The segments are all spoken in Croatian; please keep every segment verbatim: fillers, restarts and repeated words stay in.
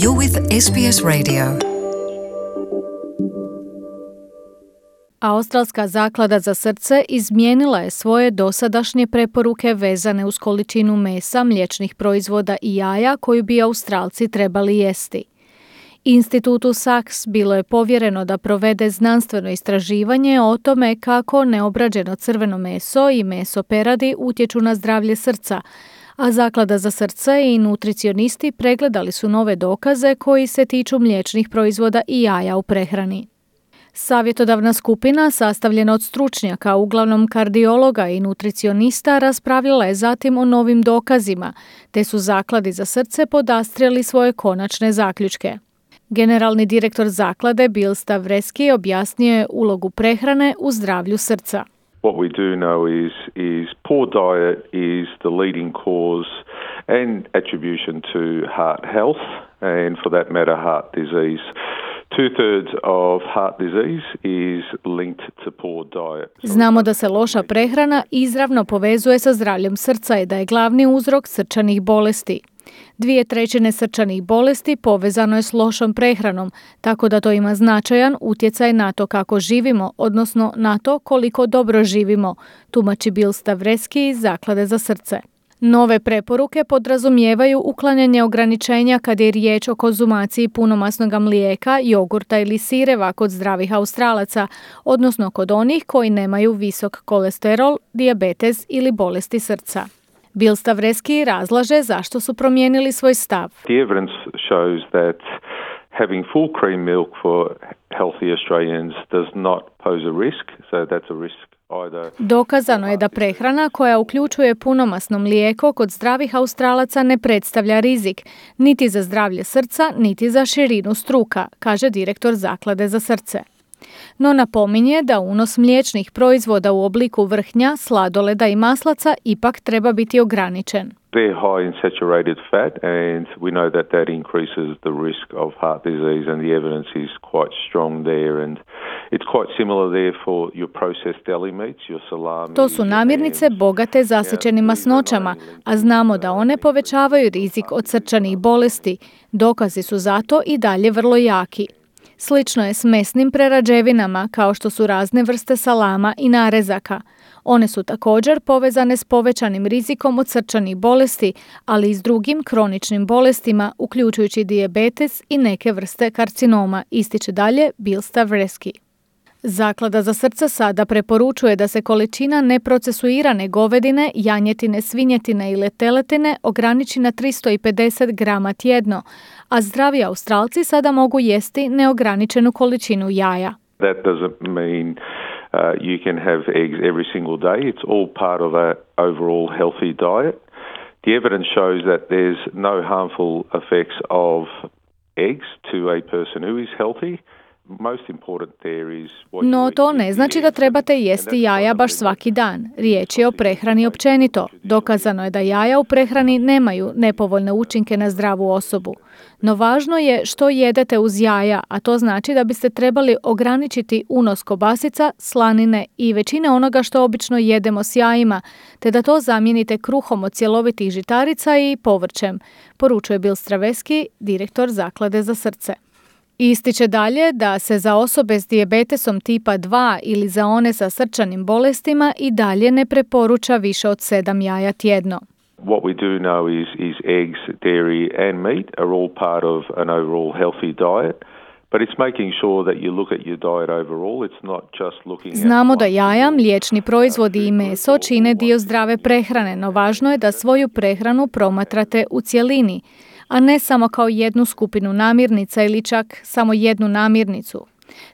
You're with S B S Radio. Australska zaklada za srce izmijenila je svoje dosadašnje preporuke vezane uz količinu mesa, mliječnih proizvoda i jaja koju bi Australci trebali jesti. Institutu Sachs bilo je povjereno da provede znanstveno istraživanje o tome kako neobrađeno crveno meso i meso peradi utječu na zdravlje srca, a Zaklada za srce i nutricionisti pregledali su nove dokaze koji se tiču mliječnih proizvoda i jaja u prehrani. Savjetodavna skupina, sastavljena od stručnjaka, uglavnom kardiologa i nutricionista, raspravljala je zatim o novim dokazima, te su Zakladi za srce podastrijeli svoje konačne zaključke. Generalni direktor zaklade Bill Stavreski objasnio je ulogu prehrane u zdravlju srca. What we do know is, is poor diet is the leading cause and attribution to heart health and for that matter heart disease. Two-thirds of heart disease is linked to poor diet. Znamo da se loša prehrana izravno povezuje sa zdravljem srca i da je glavni uzrok srčanih bolesti. Dvije trećine srčanih bolesti povezano je s lošom prehranom, tako da to ima značajan utjecaj na to kako živimo, odnosno na to koliko dobro živimo, tumači Bill Stavreski iz Zaklade za srce. Nove preporuke podrazumijevaju uklanjanje ograničenja kad je riječ o konzumaciji punomasnog mlijeka, jogurta ili sireva kod zdravih Australaca, odnosno kod onih koji nemaju visok kolesterol, dijabetes ili bolesti srca. Bill Stavreski razlaže zašto su promijenili svoj stav. The evidence shows that having full cream milk for healthy Australians does not pose a risk, so that's a risk. Dokazano je da prehrana koja uključuje punomasno mlijeko kod zdravih Australaca ne predstavlja rizik, niti za zdravlje srca, niti za širinu struka, kaže direktor Zaklade za srce. No napominje da unos mliječnih proizvoda u obliku vrhnja, sladoleda i maslaca ipak treba biti ograničen. They're high in saturated fat and we know that that increases the risk of heart disease and the evidence is quite strong there and it's quite similar there for your processed deli meats, your salami. To su namirnice bogate zasićenim masnoćama, a znamo da one povećavaju rizik od srčanih bolesti. Dokazi su zato i dalje vrlo jaki. Slično je s mesnim prerađevinama kao što su razne vrste salama i narezaka. One su također povezane s povećanim rizikom od srčanih bolesti, ali i s drugim kroničnim bolestima, uključujući dijabetes i neke vrste karcinoma, ističe dalje Bill Stavreski. Zaklada za srce sada preporučuje da se količina neprocesuirane govedine, janjetine, svinjetine ili teletine ograniči na tristo pedeset grama tjedno, a zdravi Australci sada mogu jesti neograničenu količinu jaja. That doesn't mean uh, you can have eggs every single day. It's all part of a overall healthy diet. The evidence shows that there's no harmful effects of eggs to a person who is healthy. No to ne znači da trebate jesti jaja baš svaki dan. Riječ je o prehrani općenito. Dokazano je da jaja u prehrani nemaju nepovoljne učinke na zdravu osobu. No važno je što jedete uz jaja, a to znači da biste trebali ograničiti unos kobasica, slanine i većine onoga što obično jedemo s jajima, te da to zamijenite kruhom od cjelovitih žitarica i povrćem, poručuje Bill Stavreski, direktor Zaklade za srce. Ističe dalje da se za osobe s dijabetesom tipa dva ili za one sa srčanim bolestima i dalje ne preporuča više od sedam jaja tjedno. What we do know is, is eggs, dairy and meat are all part of an overall healthy diet. But it's making sure that you look at your diet overall. It's not just looking at. Znamo da jaja, mliječni proizvodi i meso čine dio zdrave prehrane, no važno je da svoju prehranu promatrate u cjelini, a ne samo kao jednu skupinu namirnica ili čak samo jednu namirnicu.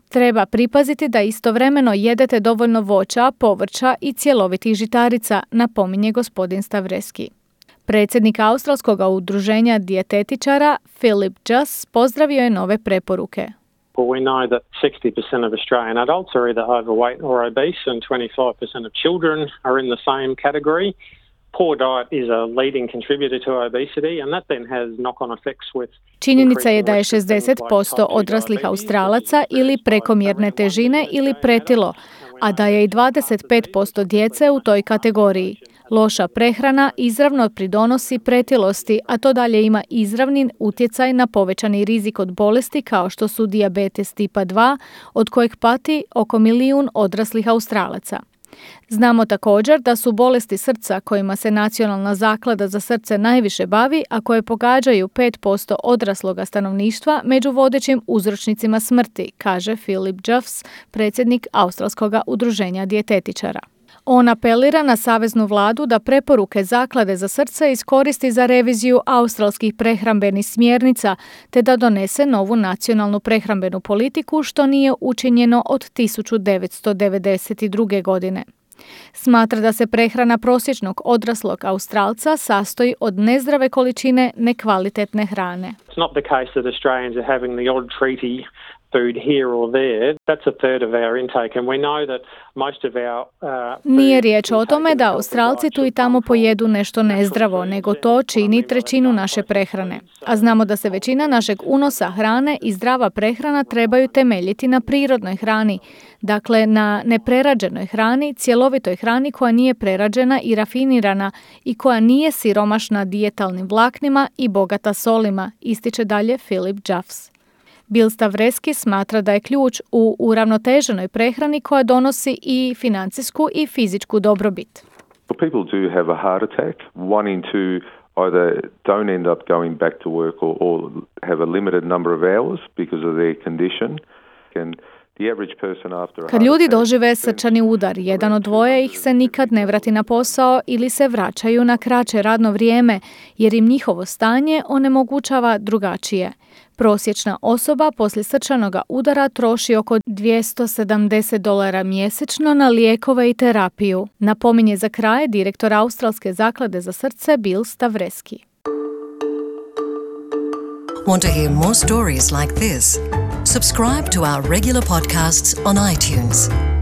Treba pripaziti da istovremeno jedete dovoljno voća, povrća i cjelovitih žitarica, napominje gospodin Stavreski. Predsjednik Australskog udruženja dijetetičara Philip Juss pozdravio je nove preporuke. Well, we know that sixty percent of Australian adults are either overweight or obese and twenty-five percent of children are in the same category. Poor diet is a leading contributor to obesity and that then has knock-on effects with. Činjenica je da je šezdeset posto odraslih Australaca ili prekomjerne težine ili pretilo, a da je i dvadeset pet posto djece u toj kategoriji. Loša prehrana izravno pridonosi pretilosti, a to dalje ima izravni utjecaj na povećani rizik od bolesti kao što su dijabetes tipa dva, od kojeg pati oko milijun odraslih Australaca. Znamo također da su bolesti srca kojima se Nacionalna zaklada za srce najviše bavi, a koje pogađaju pet posto odrasloga stanovništva, među vodećim uzročnicima smrti, kaže Philip Jeffs, predsjednik Australskog udruženja dijetetičara. On apelira na saveznu vladu da preporuke Zaklade za srce iskoristi za reviziju australskih prehrambenih smjernica te da donese novu nacionalnu prehrambenu politiku, što nije učinjeno od tisuću devetsto devedeset druge. godine. Smatra da se prehrana prosječnog odraslog Australca sastoji od nezdrave količine nekvalitetne hrane. It's not the case that Australians are having the odd treaty food here or there. That's a third of our intake and we know that most of our uh, Nije riječ o tome da Australci tu i tamo pojedu nešto nezdravo, nego to čini trećinu naše prehrane. A znamo da se većina našeg unosa hrane i zdrava prehrana trebaju temeljiti na prirodnoj hrani, dakle na neprerađenoj hrani, cjelovitoj hrani koja nije prerađena i rafinirana i koja nije siromašna dijetalnim vlaknima i bogata solima, ističe dalje Philip Jeffs. Bill Stavreski smatra da je ključ u uravnoteženoj prehrani koja donosi i financijsku i fizičku dobrobit. People do have a heart attack. One in two either don't end up going back to work or, or have a limited number of hours because of their condition. And Kad ljudi dožive srčani udar, jedan od dvoje ih se nikad ne vrati na posao ili se vraćaju na kraće radno vrijeme, jer im njihovo stanje onemogućava drugačije. Prosječna osoba poslije srčanoga udara troši oko dvjesto sedamdeset dolara mjesečno na lijekove i terapiju, napominje za kraj direktor Australske zaklade za srce Bill Stavreski. Want to hear more stories like this? Subscribe to our regular podcasts on iTunes.